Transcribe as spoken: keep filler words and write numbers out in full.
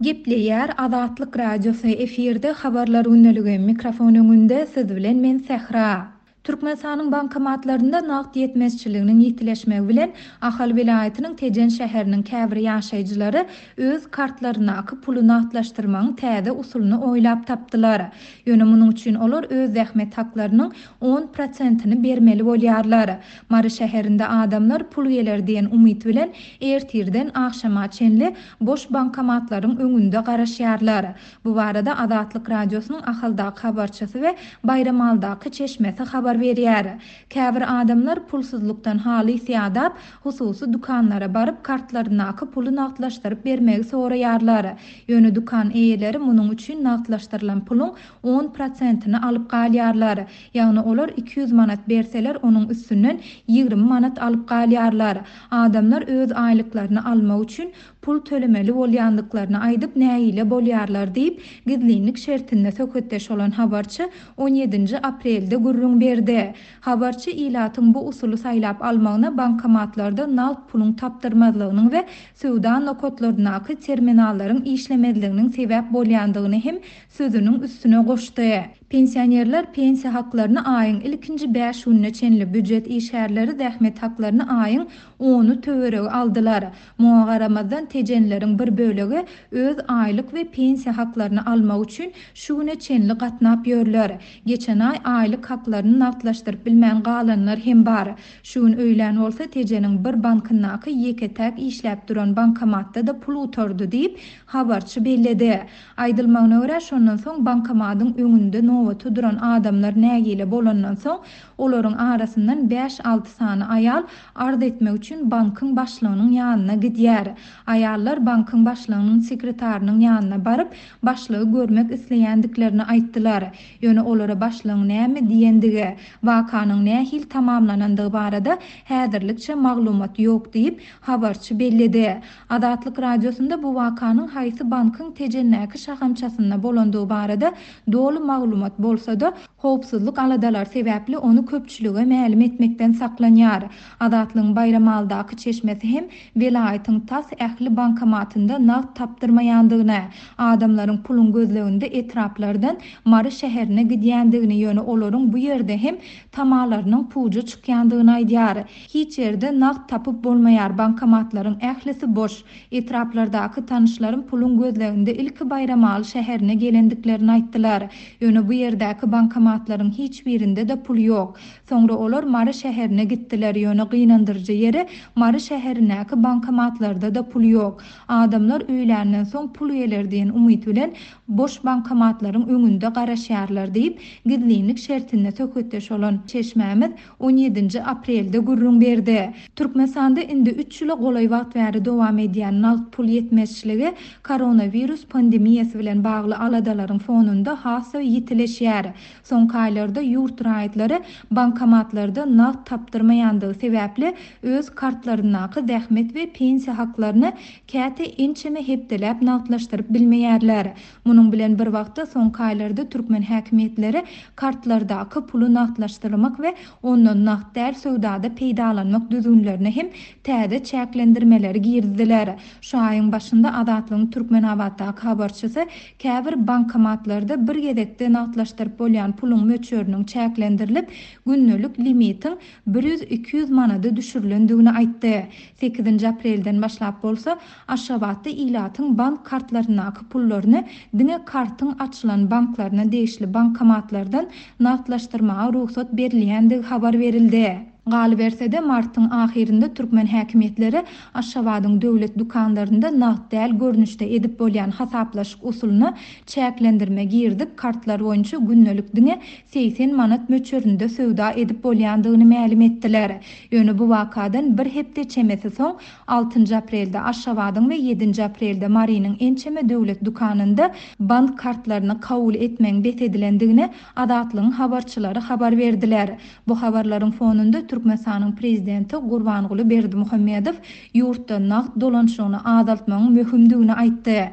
Gepleýär Azatlyk Radiosy, efirde Habarlar gündeligi, mikrofon öňünde siz bilen men Sähra. Türkmenistanyň bankomatlarynda nagt ýetmezçiliginiň ýitileşmegi bilen Ahal welaýatynyň Tejen şäheriniň käbir ýaşaýjylary öz kartlaryndaky puly nagtlaşdyrmagyň täze usulyny oýlap tapdylar. Ýöne munuň üçin olar öz zähmet haklarynyň on prosentini bermeli bolýarlar. Mary şäherinde adamlar pul geler diýen umyt bilen ertirden agşama çenli boş bankomatlaryň öňünde garaşýarlar. Bu barada Azatlyk Radiosynyň Ahaldaky habarçysy we Baýramaldaky çeşmesi habar berýär. Käbir adamlar pulsuzlykdan halys ýadap, hususy dükanlara baryp kartlaryndaky puly nagtlaşdyryp bermegi soraýarlar. Ýöne dükan eýeleri munuň üçin nagtlaşdyrylan puluň on prosentini alyp galýarlar. Ýagny olar iki ýüz manat berseler, onuň üstünden ýigrimi manat alyp galýarlar. Adamlar öz aýlyklaryny almak üçin pul tölemeli bolýandyklaryny aýdyp nägile bolýarlar diýip, gizlinlik şertinde söhbetdeş bolan habarçy on ýedinji aprelde gürrüň berdi. Habarçy ilatyň bu usuly saýlap almagyna bankomatlarda nagt puluň tapdyrmazlygynyň we söwda nokatlaryndaky terminallaryň işlemezliginiň sebäp bolýandygyny hem sözüniň üstüne goşdy. Pensionerler pensiýa haklaryny aýyň ilkinji bäş gününe çenli, býujet işgärleri zähmet haklaryny aýyň ony töweregi aldylar. Muňa garamazdan tejenleriň bir bölegi öz aýlyk we pensiýa haklaryny almak üçin şu güne çenli gatnap ýörler. Geçen aý aýlyk haklaryny nagtlaşdyryp bilmän galanlar hem bar. Şu gün öýlän bolsa Tejeniň bir bankyndaky ýeke-täk işläp duran bankomatda da pul gutardy diýip habarçy belledi. Aýdylmagyna görä şondan soň bankomatyň öňünde nobata duran adamlar nägile bolandan soň olaryň arasyndan bäş-alty sany aýal arz etmek üçin bankyň başlygynyň ýanyna gidýär. Aýallar bankyň başlygynyň sekretarynyň ýanyna baryp başlygy görmek isleýändiklerini aýtdylar. Ýöne olara başlygyň näme diýendigi, wakanyň nähili tamamlanandygy barada häzirlikçe maglumat ýok diýip habarçy belledi. Azatlyk Radiosynda bu wakanyň haýsy bankyň Tejendäki şahamçasynda bolandygy barada doly maglumat bolsa-da, howpsuzlyk aladalar sebäpli ony köpçülige mälim etmekden saklanýar. Azatlygyň Baýramaldaky çeşmesi hem welaýatyň tas ähli bankomatynda nagt tapdyrmaýandygyny, adamlaryň puluň gözleginde etraplardan Mary şäherine gidýändigini, ýöne olaryň bu ýerde hem tamalarynyň puja çykýandygyny aýdýar. Hiç ýerde nagt tapyp bolmaýar, bankomatlaryň ählisi boş. Etraplardaky tanyşlarym puluň gözleginde ilki Baýramaly şäherine gelendiklerini aýtdylar. Ýöne bu ýerdäki bankomatlaryň hiç birinde de pul ýok. Soňra olar Mary şäherine gitdiler. Ýöne gynandyryjy ýeri Mary şäherindäki bankomatlarda da pul ýok. Adamlar öýländen soň pul geler diýen umyt bilen boş bankomatlaryň öňünde garaşýarlar diýip, gizlinlik şertinde söhbetdeş bolan çeşmämiz on ýedinji aprelde gürrüň berdi. Türkmenistanda indi üç ýyla golaý wagt bäri dowam edýän nagt pul ýetmezçiligi koronawirus pandemiýasy bilen bagly aladalaryň fonunda has-da ýitileşýär. Soňky aýlarda ýurt raýatlary bankomatlarda nagt tapdyrmaýandygy sebäpli öz kartlaryndaky zähmet we pensiýa haklaryny käte ençeme hepdeläp nagtlaşdyryp bilmeýärler. Munuň bilen bir wagtda soňky aýlarda türkmen häkimiýetleri kartlardaky puly nagtlaşdyrmak we ondan nagt däl söwdada peýdalanmak düzgünlerine hem täze çäklendirmeleri girdiler. Şu aýyň başynda Azatlygyň Türkmenabatdaky habarçysy käbir bankomatlarda bir gezekde nagtlaşdyryp bolýan puluň möçberiniň çäklendirilip, gündelik limitiň bir ýüz iki ýüz manada düşürilendigini aýtdy. Sekizinji aprelden başlap bolsa Aşgabatda ilatyň bank kartlaryndaky pullaryny diňe kartyň açylan banklaryna degişli bankomatlardan nagtlaşdyrmaga rugsat berilýändigi habar berildi. Galyberse-de martyň ahyrynda türkmen häkimiýetleri Aşgabadyň döwlet dükanlarynda nagt däl görnüşde edip bolýan hasaplaşyk usulyna çäklendirme girdip, kartlar boýunça gündelik diňe segsen manat möçberinde söwda edip bolýandygyny mälim etdiler. Ýöne bu wakadan bir hepde çemesi soň altynjy aprelde Aşgabadyň we ýedinji aprelde Marynyň ençeme döwlet dükanynda bank kartlaryny kabul etmegiň bes edilendigini Azatlygyň habarçylary habar berdiler. Bu habarlaryň fonunda Türkmenistanyň prezidenti Gurbanguly Berdimuhamedow ýurtda nagt dolanşygyny azaltmagyň möhümdigini aýtdy.